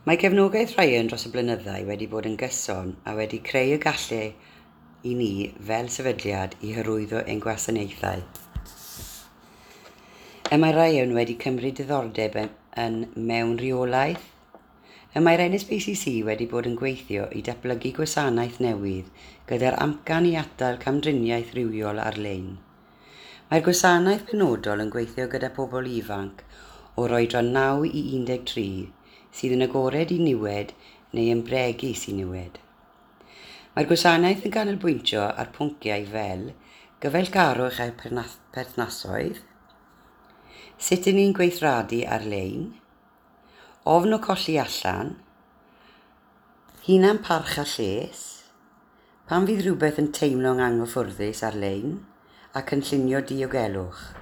Mae cefnogaeth Ryan dros y blynyddau wedi bod yn gyson a wedi creu y gallu i ni fel sefydliad i hyrwyddo ein gwasanaethau. Y mae Ryan wedi cymryd diddordeb yn mewn rheolaeth. Y mae'r NSPCC wedi bod yn gweithio i datblygu gwasanaeth newydd gyda'r amcan i atal camdriniaeth rhywiol ar-lein. Mae'r gwasanaeth penodol yn gweithio gyda pobl ifanc o'r oedran 9 i 13 sydd yn agored i niwed neu yn bregus i niwed. Mae'r gwasanaeth yn canolbwyntio ar pwnciau fel gyfeillgarwch a'r perthnasoedd, sut 'y ni'n gweithredu ar-lein, ofn o colli allan, hunan parch a lles, pan fydd rhywbeth yn teimlo'n anghyffyrddus ar-lein, a cynllunio diogelwch.